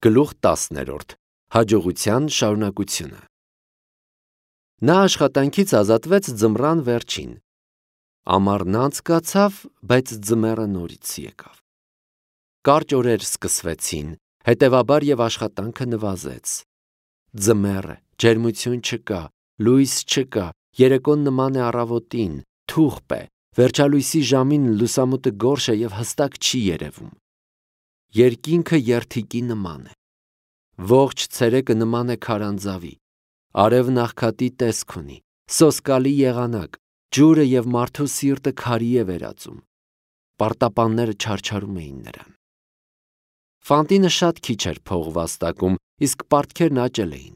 Գլուխ 10. Հաջողության շարունակությունը։ Նա աշխատանքից ազատվեց ձմռան վերջին։ Ամառն անցկացավ, բայց ձմեռը նորից եկավ։ Կարճ օրեր սկսվեցին, հետևաբար եւ աշխատանքը նվազեց։ Ձմեռը, ջերմություն չկա, լույս չկա, երեկոն նման է առավոտին, թուղթ է, վերջալույսի ժամին լուսամուտը գորշ է եւ հստակ չի երևում։ Երկինքը երթիկի նման է։ Ողջ ցերեկը նման է քարանձավի։ Արևն աղքատի տեսք ունի, սոսկալի եղանակ, ջուրը եւ մարդու սիրտը քարի է վերածում։ Պարտապանները չարչարում էին նրան։ Ֆանտինը շատ քիչ էր փող վաստակում, իսկ պարտքերն աճել էին։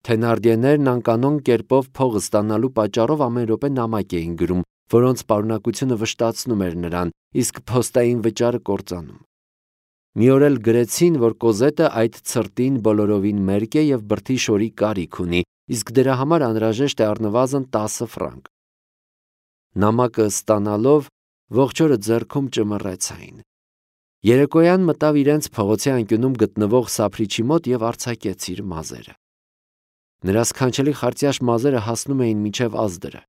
Թենարդիեներն անկանոն կերպով փող ստանալու պատճառով ամեն րոպե նամակ էին գրում, որոնց պարունակությունը վշտացնում էր նրան, իսկ փոստային վճարը կործանում։ Մի օր էլ գրեցին, որ Կոզետը այդ ցրտին բոլորովին մերկ է եւ բրդի շորի կարիք ունի, իսկ դրա համար անհրաժեշտ է առնվազն 10 ֆրանկ։ Նամակը ստանալով ողջ օրը ձեռքում ճմռեցային։ Երեկոյան մտավ իրենց փողոցի անկյունում գտնվող սափրիչի մոտ եւ արձակեց իր մազերը։ Նրա սքանչելի խարծյաշ մազերը հասնում էին մինչև ազդրը։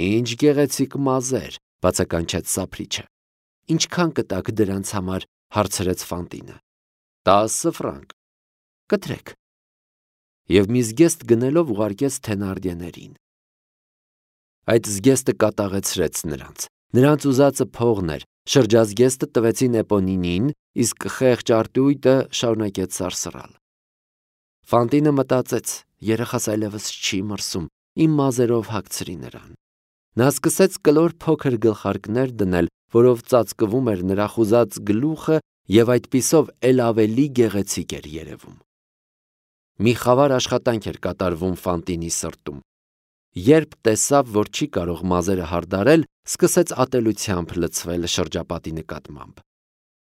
Ինչ գեղեցիկ մազեր, բացականչեց սափրիչը։ Ինչքան կտաք դրանց համար, հարցրեց Ֆանտինը։ 10 ֆրանկ։ Կտրեք։ Եվ մի զգեստ գնելով ուղարկեց Թենարդիեներին։ Այդ զգեստը կատաղեցրեց նրանց։ Նրանց ուզածը փողն էր, շրջազգեստը տվեցին Էպոնինին, իսկ խեղճ արտույտը շարունակեց սարսռալ։ Ֆանտինը մտածեց, երեխաս այլևս չի մրսում, իմ մազերով հագցրի նրան։ Նա սկսեց կլոր փոքր գլխարկներ դնել, որով ծածկվում էր նրա խուզած գլուխը եւ այդպիսով էլ ավելի գեղեցիկ էր երևում։ Մի խավար աշխատանք էր կատարվում Ֆանտինի սրտում։ Երբ տեսավ, որ չի կարող մազերը հարդարել, սկսեց ատելությամբ լցվել շրջապատի նկատմամբ։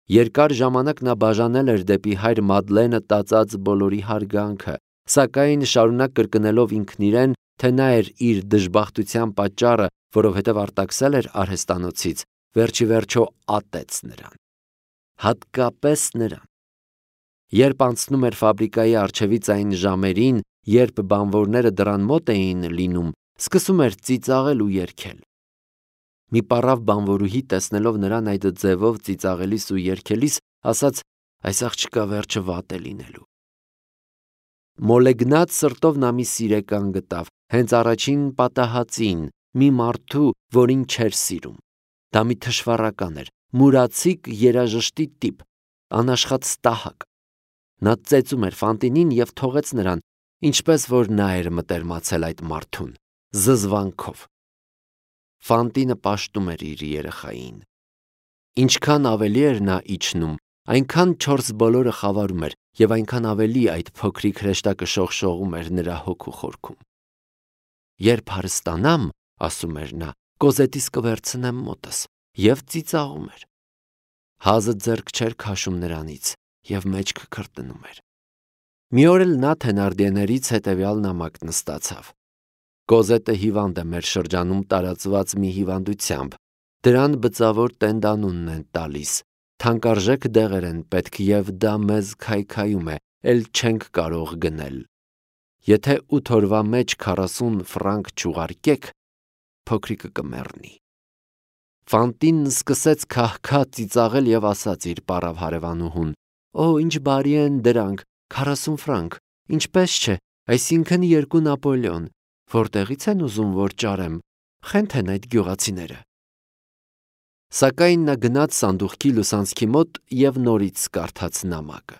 Երկար ժամանակ նա բաժանել էր դեպի հայր Մադլենը տածած բոլորի հարգանքը, սակայն շարունակ կրկնելով ինքն իրեն, թե նա էր իր դժբախտության պատճառը, որովհետև արտաքսել էր արհեստանոցից, վերջիվերջո ատեց նրան։ Հատկապես նրան։ Երբ անցնում էր ֆաբրիկայի առջևից այն ժամերին, երբ բանվորները դռան մոտ էին լինում, սկսում էր ծիծաղել ու երգել։ Մի պառավ բանվորուհի տեսնելով նրան այդ ձևով ծիծաղելիս ու երգելիս, ասաց. այս աղջկա վերջը վատ է լինելու։ Մոլեգնած սրտով նա մի սիրեկան գտավ, հենց առաջին պատահածին, մի մարդու, որին չէր սիրում։ Դա մի թշվառական էր, մուրացիկ երաժշտի տիպ, անաշխատ ստահակ։ Նա ծեծում էր Ֆանտինին եւ թողեց նրան, ինչպես որ նա էր մտերմացել այդ մարդուն, զզվանքով։ Ֆանտինը պաշտում էր իր երեխային։ Ինչքան ավելի էր նա իջնում, այնքան չորս բոլորը խավարում էր եւ այնքան ավելի այդ փոքրիկ հրեշտակը շողշողում էր նրա հոգու խորքում։ Երբ հարստանամ, ասում էր նա, Կոզետիս կվերցնեմ մոտս, եւ ծիծաղում էր։ Հազը ձեռք չէր քաշում նրանից եւ մեջքը քրտնում էր։ Մի օր էլ նա Թենարդիեներից հետեւյալ նամակն ստացավ. Կոզետը հիվանդ է մեր շրջանում տարածված մի հիվանդությամբ։ Դրան բծավոր տենդանունն են տալիս։ Թանկարժեք դեղեր են պետք եւ դա մեզ քայքայում է, էլ չենք կարող գնել։ Եթե 8 օրվա մեջ 40 ֆրանկ չուղարկեք, փոքրիկը կմեռնի։ Ֆանտինն սկսեց քահքա ծիծաղել եւ ասաց իր պառավ հարևանուհուն. «Օ, ինչ բարի են դրանք, 40 ֆրանկ, ինչպես չէ, այսինքն 2 Նապոլեոն, որտեղից են ուզում որ ճարեմ, խենթ են այդ գյուղացիները»։ Սակայն նա գնաց սանդուղքի լուսանցքի մոտ եւ նորից կարդաց նամակը։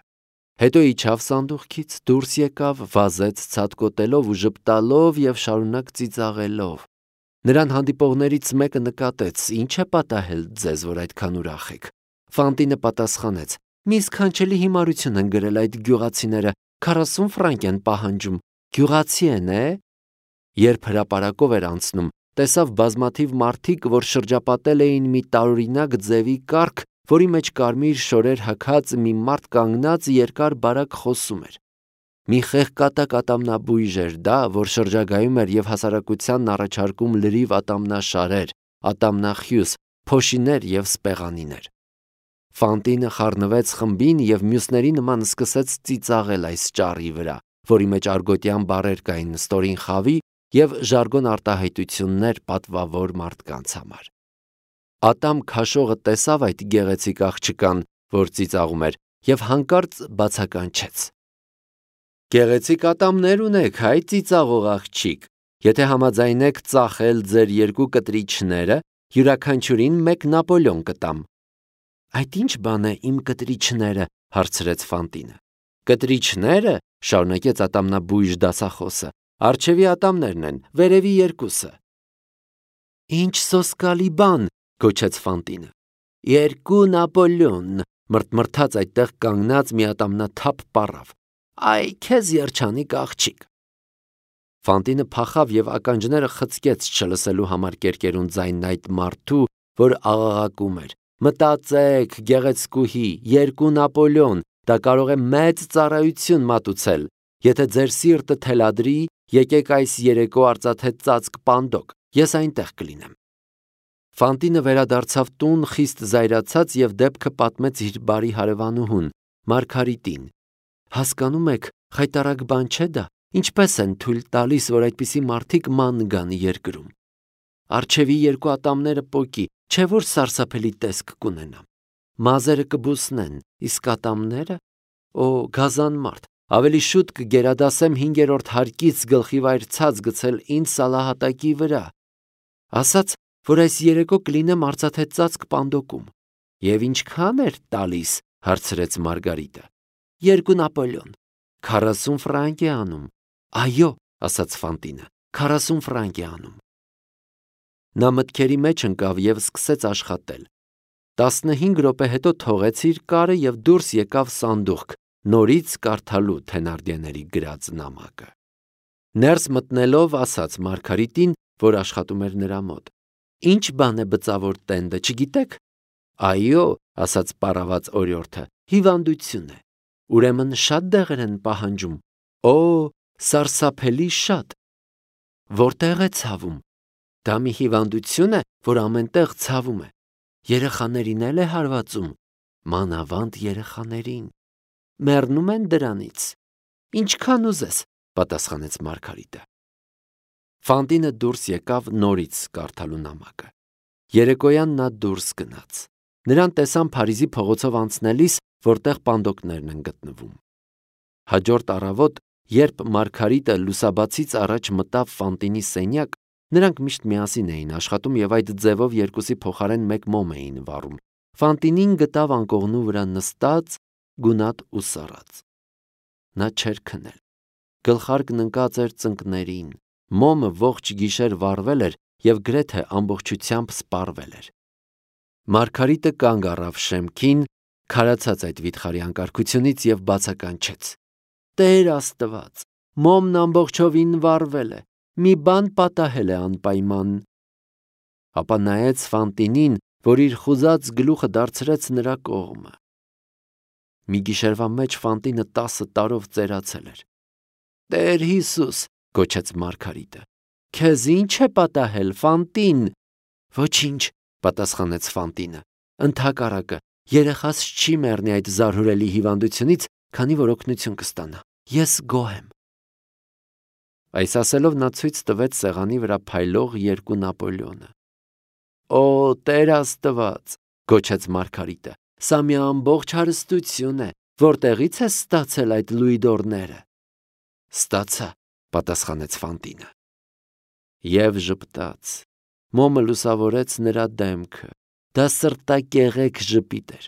Հետո իջավ սանդուղքից, դուրս եկավ, վազեց ցատկոտելով ու ժպտալով եւ շարունակ ծիծաղելով։ Նրան հանդիպողներից մեկը նկատեց. «Ինչ է պատահել ձեզ, որ այդքան ուրախ եք»։ Ֆանտինը պատասխանեց. «Մի սքանչելի հիմարություն են գրել այդ գյուղացիները, 40 ֆրանկ են պահանջում, գյուղացի են, է»։ Երբ հրապարակով էր անցնում, տեսավ բազմաթիվ մարդիկ, որ շրջապատել էին մի տարօրինակ ձևի կառք, որի մեջ կարմիր շորեր հագած մի մարդ կանգնած երկար բարակ խոսում էր։ Մի խեղկատակ ատամնաբույժ էր դա, որ շրջագայում էր եւ հասարակությանն առաջարկում լրիվ ատամնաշարեր, ատամնախյուս, փոշիներ եւ սպեղանիներ։ Ֆանտինը խառնվեց խմբին և մյուսների նման սկսեց ծիծաղել այս ճառի վրա, որի մեջ արգոտյան բառեր կային ստորին խավի և ժարգոն արտահայտություններ պատվավոր մարդկանց համար։ Ատամ քաշողը տեսավ այդ գեղեցիկ աղջկան, որ ծիծաղում էր, և հանկարծ բացականչեց. «Գեղեցիկ ատամներ ունեք, հայ ծիծաղող աղջիկ, եթե համաձայնեք ծախել ձեր երկու կտրիչները, յուրաքանչյուրին մեկ Նապոլեոն կտամ»։ «Այդ ի՞նչ բան է իմ կտրիչները», հարցրեց Ֆանտինը։ «Կտրիչները», շարունակեց ատամնաբույժ դասախոսը, «առջևի ատամներն են, վերևի երկուսը»։ «Ինչ սոսկալի բան», գոչեց Ֆանտինը։ «Երկու Նապոլեոն», մրթմրթաց այդտեղ կանգնած մի ատամնաթափ պառավ։ «Այ քեզ երջանիկ աղջիկ»։ Ֆանտինը փախավ և ականջները խցկեց չլսելու համար կերկերուն ձայնն այդ մարդու, որ աղաղակում էր. «Մտածեք, գեղեցկուհի, երկու Նապոլեոն, դա կարող է մեծ ծառայություն մատուցել։ Եթե ձեր սիրտը թելադրի, եկեք այս երեկո արծաթե ծածկ պանդոկ, ես այնտեղ կլինեմ»։ Ֆանտինը վերադարձավ տուն խիստ զայրացած և դեպքը պատմեց իր բարի հարևանուհուն, Մարգարիտին։ «Հասկանում եք, խայտառակ բան չէ դա, ինչպես են թույլ տալիս, որ այդպիսի մարդիկ ման գան երկրում։ Առջևի երկու ատամները պոկի, չէ՞ որ սարսափելի տեսք կունենամ։ Մազերը կբուսնեն, իսկ ատամները… Օ, գազանմարդ, ավելի շուտ կգերադասեմ 5-րդ հարկից գլխիվայր ցած գցել ինձ սալահատակի վրա, ասաց, որ այս երեկո կլինեմ արծաթե ծածկ պանդոկում։ Եվ ինչքա՞ն էր տալիս, հարցրեց Մարգարիտը։ 2 Նապոլեոն, 40 ֆրանկ է անում։ Այո, ասաց Ֆանտինը, 40 ֆրանկ է անում։ Նա մտքերի մեջ ընկավ և սկսեց աշխատել։ 15 րոպե հետո թողեց իր կարը և դուրս եկավ սանդուղք, նորից կարդալու Թենարդիեների գրած նամակը։ Ներս մտնելով ասաց Մարգարիտին, որ աշխատում էր նրա մոտ. «Ինչ բան է բծավոր տենդը, չգիտեք»։ «Այո», ասաց պառաված օրիորդը, «հիվանդություն է»։ «Ուրեմն շատ դեղեր են պահանջում»։ «Օ, սարսափելի շատ»։ «Որտեղ է ցավում»։ «Դա մի հիվանդություն է, որ ամեն տեղ ցավում է։ Երեխաներին էլ է հարվածում»։ «Մանավանդ երեխաներին»։ «Մեռնում են դրանից»։ «Ինչքան ուզես», պատասխանեց Մարգարիտը։ Ֆանտինը դուրս եկավ նորից կարդալու նամակը։ Երեկոյան նա դուրս գնաց։ Նրան տեսան Փարիզի փողոցով անցնելիս, որտեղ պանդոկներն են գտնվում։ Հաջորդ առավոտ, երբ Մարգարիտը լուսաբացից առաջ մտավ Ֆանտինի սենյակ, նրանք միշտ միասին էին աշխատում և այդ ձևով երկուսի փոխարեն մեկ մոմ էին վառում, Ֆանտինին գտավ անկողնու վրա նստած, գունատ ու սառած։ Նա չէր քնել։ Գլխարկն ընկած էր ծնկներին, մոմը ողջ գիշեր վառվել էր և գրեթե ամբողջությամբ սպառվել էր։ Մարգարիտը կանգ առավ շեմքին, քարացած այդ վիթխարի անկարգությունից և բացականչեց. «Տեր Աստված, մոմն ամբողջովին վառվել է, մի բան պատահել է անպայման»։ Ապա նայեց Ֆանտինին, որ իր խուզած գլուխը դարձրեց նրա կողմը։ Մի գիշերվա մեջ Ֆանտինը 10 տարով ծերացել էր։ «Տեր Հիսուս», գոչեց Մարգարիտը, «քեզ ի՞նչ է պատահել, Ֆանտին»։ «Ոչինչ», պատասխանեց Ֆանտինը, «ընդհակառակը, երեխաս չի մեռնի այդ զարհուրելի հիվանդությունից, քանի որ օգնություն կստանա։ Ես գոհ եմ»։ Այս ասելով նա ցույց տվեց սեղանի վրա փայլող 2 Նապոլեոնը։ «Օ, Տեր Աստված», գոչեց Մարգարիտը, «սա մի ամբողջ հարստություն է, որտեղի՞ց ես ստացել այդ լուիդորները»։ «Ստացա», պատասխանեց Ֆանտինը։ Եվ ժպտաց։ Մոմը լուսավորեց նրա դեմքը։ Դա սրտակեղեք ժպիտ էր։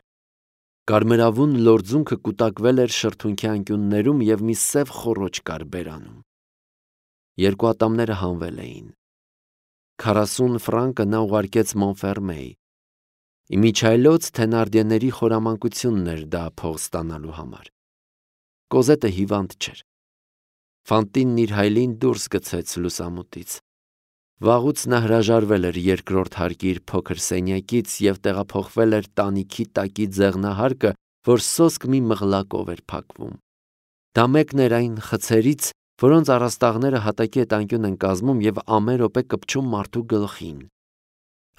Կարմրավուն լորձունքը կուտակվել էր շրթունքի անկյուններում և մի սև խոռոչ կար բերանում։ Երկու ատամները հանվել էին։ 40 ֆրանկը նա ուղարկեց Մոնֆերմեի։ Իմիջիայլոց Թենարդիեների խորամանկությունն էր դա փող ստանալու համար։ Կոզետը հիվանդ չէր։ Ֆանտինն իր հայելին դուրս գցեց լուսամուտից։ Վաղուց նա հրաժարվել էր երկրորդ հարկի իր փոքր սենյակից և տեղափոխվել էր տանիքի տակի ձեղնահարկը, որ սոսկ մի մղլակով էր փակվում։ Դա մեկն էր այն խցերից, որոնց առաստաղները հատակի հետ անկյուն են կազմում և ամեն րոպե կպչում մարդու գլխին։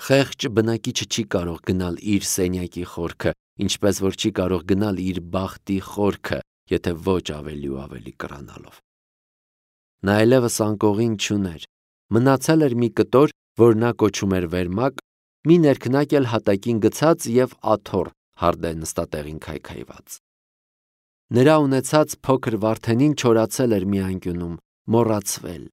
Խեղճ բնակիչը չի կարող գնալ իր սենյակի խորքը, ինչպես որ չի կարող գնալ իր բախտի խորքը, եթե ոչ ավելի ու ավելի կռանալով։ Նա այլևս անկողին չուներ, մնացել էր մի կտոր, որ նա կոչում էր վերմակ, մի ներքնակ էլ հատակին գցած և աթոռ հարդե նստատեղին քայքայված։ Նրա ունեցած փոքր Վարդենին չորացել էր մի անկյունում, մոռացվել։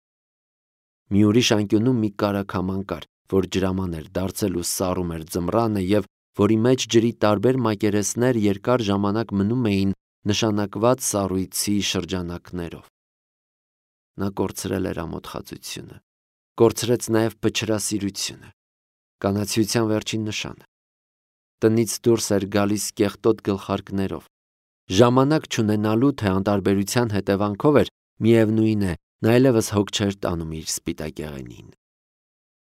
Մի ուրիշ անկյունում մի կարագաման կար, որ ջրաման էր դարձել ու սառում էր ձմռանը և որի մեջ ջրի տարբեր մակերեսներ երկար ժամանակ մնում էին նշանակված սառույցի շրջանակներով։ Նա կորցրել էր ամոթխածությունը, կորցրեց նաև փչրասիրությունը, կանացիության վերջին նշանը։ Տնից դուրս էր գալիս կեղտոտ գլխարկներով, ժամանակ չունենալու թե անտարբերության հետևանքով էր, միևնույն է, նա այլևս հոգ չէր տանում իր սպիտակեղենին։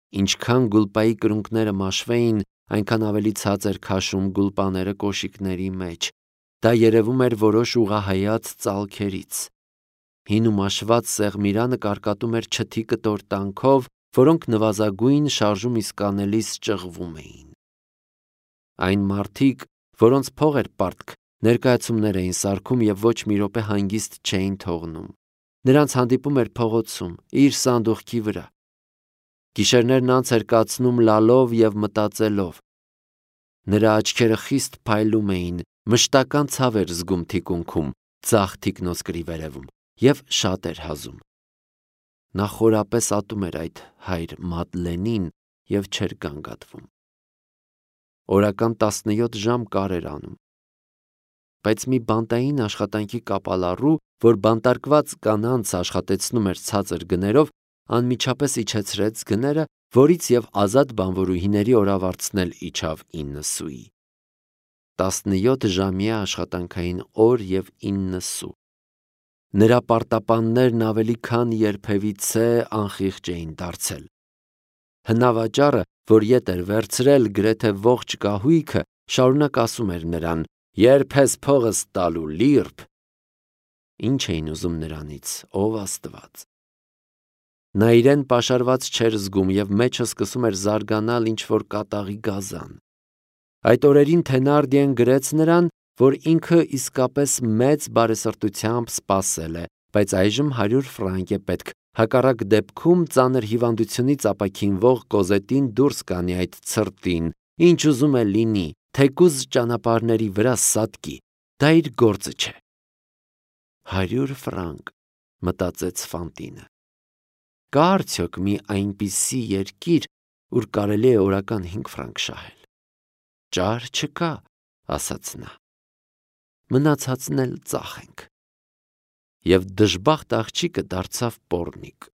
Ինչքան գուլպայի կրունկները մաշվեին, այնքան ավելի ցած էր քաշում գուլպաները կոշիկների մեջ։ Դա երևում էր որոշ ուղղահայաց ծալքերից։ Հին ու մաշված սեղմիրանը կարկատում էր չթի կտոր տանքով, որոնք նվազագույն շարժում իսկ անելիս ճղվում էին։ Այն մարդիկ, որոնց փող էր պարտք, ներկայացումներ էին սարքում և ոչ մի րոպե հանգիստ չէին թողնում։ Նրանց հանդիպում էր փողոցում, իր սանդուղքի վրա։ Գիշերներն անց էր կացնում լալով և մտածելով։ Նրա աչքերը խիստ փայլում էին, մշտական ցավ էր զգում թիկունքում, ձախ թիկնոսկրի վերևում և շատ էր հազում։ Նա խորապես ատում էր այդ հայր Մադլենին և չէր գանգատվում։ Օրական 17 ժամ կար էր անում։ Բայց մի բանտային աշխատանքի կապալառու, որ բանտարկված կանանց աշխատեցնում էր ցածր գներով, անմիջապես իջեցրեց գները, որից և ազատ բանվորուհիների օրավարձն էլ իջավ 9 սուի։ 17-ժամյա աշխատանքային օր և 9 սու։ Նրա պարտապաններն ավելի քան երբևիցե անխիղճ էին դարձել։ Հնավաճառը, որ ետ էր վերցրել գրեթե ողջ կահույքը, շարունակ ասում էր նրան. «Երբ ես փողս տալու, լիրբ»։ Ինչ էին ուզում նրանից, ով Աստված։ Նա իրեն պաշարված չէր զգում և մեջը սկսում էր զարգանալ ինչ-որ կատաղի գազան։ Այդ օրերին Թենարդիեն գրեց նրան, որ ինքը իսկապես մեծ բարեսրտությամբ սպասել է, բայց այժմ 100 ֆրանկ է պետք, հակառակ դեպքում ծանր հիվանդությունից ապաքինվող Կոզետին դուրս կանի այդ ցրտին, ինչ ուզում է լինի, թեկուզ ճանապարհների վրա սատկի, դա իր գործը չէ։ 100 ֆրանկ, մտածեց Ֆանտինը։ Կա արդյոք մի այնպիսի երկիր, ուր կարելի է օրական 5 ֆրանկ շահել։ Ճար չկա, ասաց նա։ Մնացածն էլ ծախենք։ Եվ դժբախտ աղջիկը դարձավ պոռնիկ։